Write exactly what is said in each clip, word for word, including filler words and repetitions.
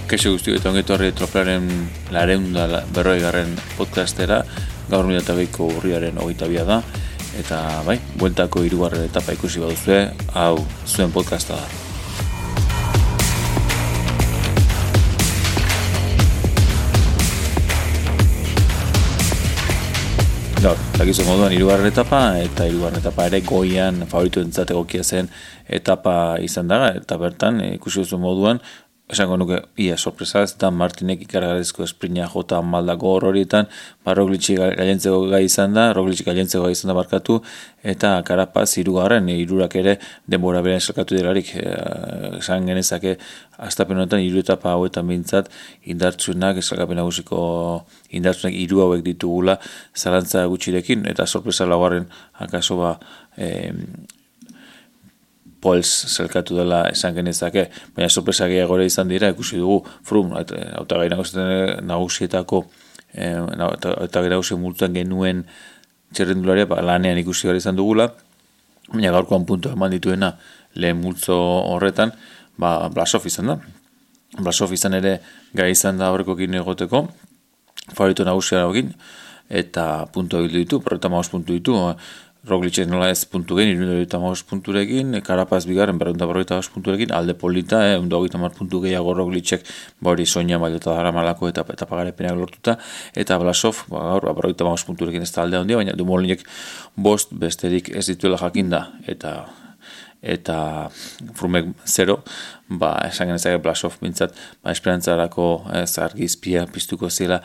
Kaixo guztiok eta ongeto horri Tropelaren lareunda berroi garren podcastera, gaur mila eta behiko urriaren hogeita bia da, eta bai, bueltako hirugarren etapa ikusi baduzue, hau zuen podcasta da. Gaur, dakizu moduan hirugarren etapa, eta hirugarren etapa ere goian favoritu entzat egokia zen etapa izan da, eta bertan ikusi duzu moduan, esango nuke, ia sorpresa ez, Dan Martinek ikargarezko esprina jota maldako hor horietan, ba, Roglic gailentzeko gai izan da, Roglic gailentzeko gai izan da barkatu, eta Carapaz hirugarren, hirurak ere denbora berean salkatu delarik, esan genezake, astapen honetan hiru etapa hauetan bintzat, indartsuenak, esalkapen nagusiko indartsuenak hiru hauek ditugula, zalantza gutxirekin, eta sorpresa laugarren, akaso ba, eh, Pols zelkatu dela esan genezake, baina sorpresa gehiago ere izan dira, ikusi dugu Froome, eta gai nagusietako, eta gai nagusi multuan genuen txerrendularia, ba, lanean ikusi gara izan dugula, baina gaurkoan puntu eman dituena lehen multzo horretan, ba, Blasov izan da. Blasov izan ere gai izan da horrekokin egoteko, favorito nagusia egin, eta puntu egildu ditu, berreta maus puntu ditu, Roglic nola ez puntu gen, irundu hogeita punturekin, Carapaz bigarren berrunda berrogeita punturekin, alde polita, eh, undu hogeita puntu gehiago Roglicek, bori soina mailota dara malako eta etapagarepenak lortuta, eta Blasov, ba, gaur, berrogeita punturekin ez da aldea handia, baina Dumolinek bost besterik ez dituela jakinda, eta eta Froomek zero, ba, esan genezake Blasov bintzat, ba, esperantzarako ez argizpia piztuko zela,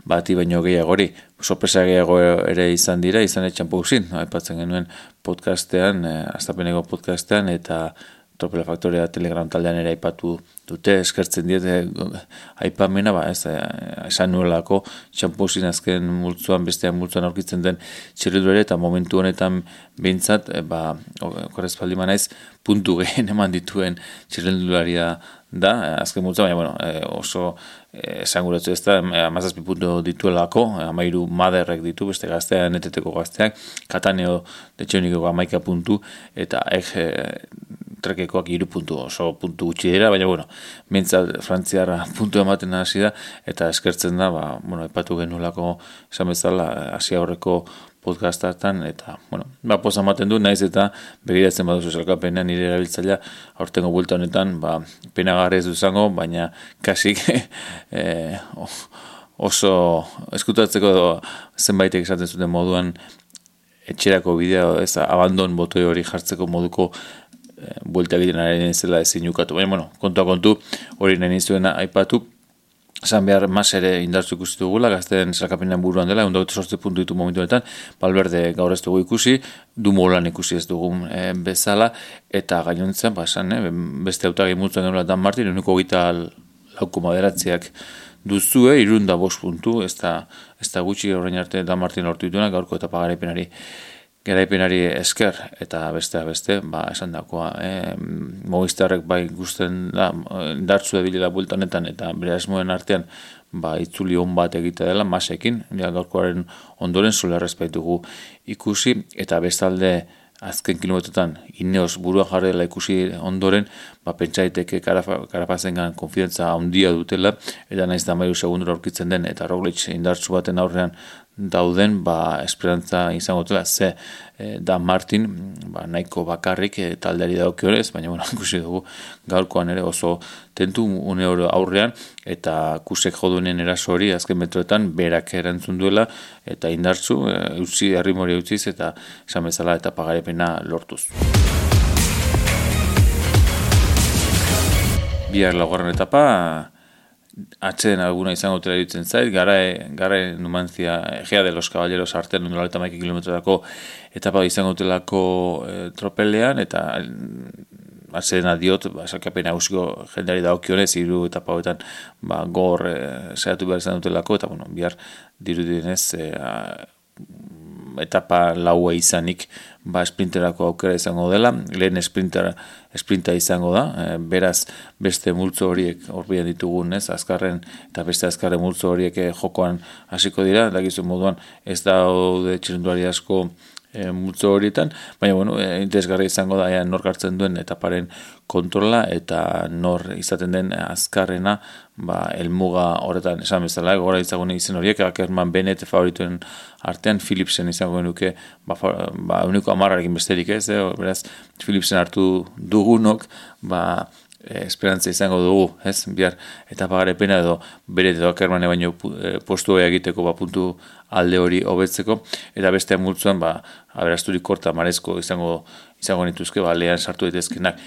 bati baino gehiagori, sorpresa gehiago ere izan dira, izan etxan pauzin, aipatzen genuen podcastean, eh, astapeneko podcastean, eta Tropela Faktorea Telegram taldean ere aipatu dute, eskertzen diete aipamena, ba, ez, esan nuelako, txampuzin azken multzuan, bestean multzuan aurkitzen den txerrildure, eta momentu honetan behintzat, ba, korrezpaldi manaiz, puntu gehen eman dituen txerrildularia da, azken multzuan, baina, bueno, oso esanguratzu ez da, amazazpi puntu dituelako, amairu maderrek ditu, beste gaztean, neteteko gazteak, Kataneo detxeunikeko amaika puntu, eta ek trekekoak hiru puntu, oso puntu gutxi dira, baina, bueno, mintzat frantziarra puntu ematen hasi da, eta eskertzen da, ba, bueno, epatu genuelako esan bezala, hasi aurreko podcastatan, eta, bueno, ba, poza ematen du, naiz eta begiratzen baduzu zelkapenean nire erabiltzailea, aurtengo bulta honetan, ba, penagarrez duzango, baina kasik eh, oso eskutatzeko zenbaitek esaten zuten moduan etxerako bideo, ez, abandon botoi hori jartzeko moduko buelta egiten ari zela ezin ukatu. Baina, bueno, kontua kontu, hori nahi nizuena aipatu, esan behar mas ere indartzu ikusi dugula, gazten zelkapenean buruan dela, egun dagoetu sortze puntu ditu momentu honetan, Valverde gaur ez dugu ikusi, Dumoulin ikusi ez dugun e, bezala, eta gainontzen, ba, esan, e, beste autagin multuan genuela Dan Martin, eguneko gita lauko maderatziak duzue, irunda bost puntu, ez da, ez da gutxi horrein arte Dan Martin lortu dituena, gaurko eta pagaraipenari garaipenari esker, eta beste beste, ba, esan dakoa, eh, Movistarrek bai gusten da, dartzu ebilela bultanetan, eta bere asmoen artean, ba, itzuli on bat egite dela, masekin, ja, gaurkoaren ondoren zulerrez baitugu ikusi, eta bestalde azken kilometrotan Ineos burua jarri dela ikusi ondoren, ba, pentsaiteke Carapazengan konfidentza handia dutela, eta naiz da mairu segundura aurkitzen den, eta Roglic indartsu baten aurrean dauden, ba, esperantza izango dela, ze e, Dan Martin, ba, nahiko bakarrik e, taldeari daukionez, baina, bueno, ikusi dugu gaurkoan ere oso tentu une oro aurrean, eta kusek joduenen eraso hori azken metroetan berak erantzun duela, eta indartzu, e, utzi, errimori utziz, eta esan bezala eta pagarepena lortuz. Bihar laugarren etapa, atxeden alguna izango tela ditzen zait, gara, gara Numancia, Egea de los Caballeros artean noleta maiki kilometrako etapa izango telako e, tropelean, eta atxeden adiot, ba, salkapena ausiko jendeari daokionez, hiru etapa hoetan, ba, gor e, saiatu behar izan dutelako, eta, bueno, bihar dirudienez, e, etapa laua izanik, ba, sprinterako aukera izango dela, lehen sprinter, sprinta izango da, e, beraz beste multzo horiek horbian ditugun, ez, azkarren eta beste azkarren multzo horiek jokoan hasiko dira, dakizu moduan ez daude txirrindulari asko e, multzo horietan, baina, bueno, e, interesgarri izango da, ea, nor hartzen duen etaparen kontrola, eta nor izaten den azkarrena, ba, elmuga horretan, esan bezala, gora izagune izen horiek, Ackerman, Bennett favorituen artean, Philipsen izango genuke, ba, ba uniko amarrarekin besterik ez, eh? Beraz, Philipsen hartu dugunok, ba, E, esperantza izango dugu, ez, bihar eta pagarepena edo bere edo Ackerman baino e, postu hori egiteko ba, puntu alde hori hobetzeko, eta beste multzuan ba, aberasturik korta marezko izango izango nituzke, ba, lehan sartu daitezkenak.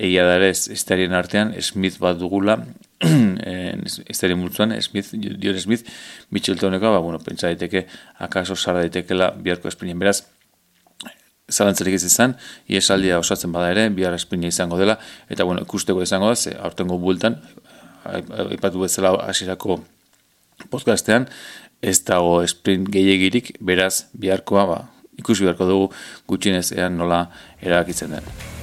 Egia da ere, estarien artean, Smith bat dugula, estarien multzuan, Smith, Dion Smith, Mitcheltoneko, ba, bueno, pentsa daiteke, akaso sara daitekela biharko esprinien, beraz, zalantzarik ez izan, iesaldia osatzen bada ere, bihar esprina izango dela, eta bueno, ikusteko izango da, ze aurtengo bueltan, aipatu bezala hasierako podcastean, ez dago sprint gehiagirik, beraz, biharkoa, ba, ikusi beharko dugu gutxienez ean nola erabakitzen den.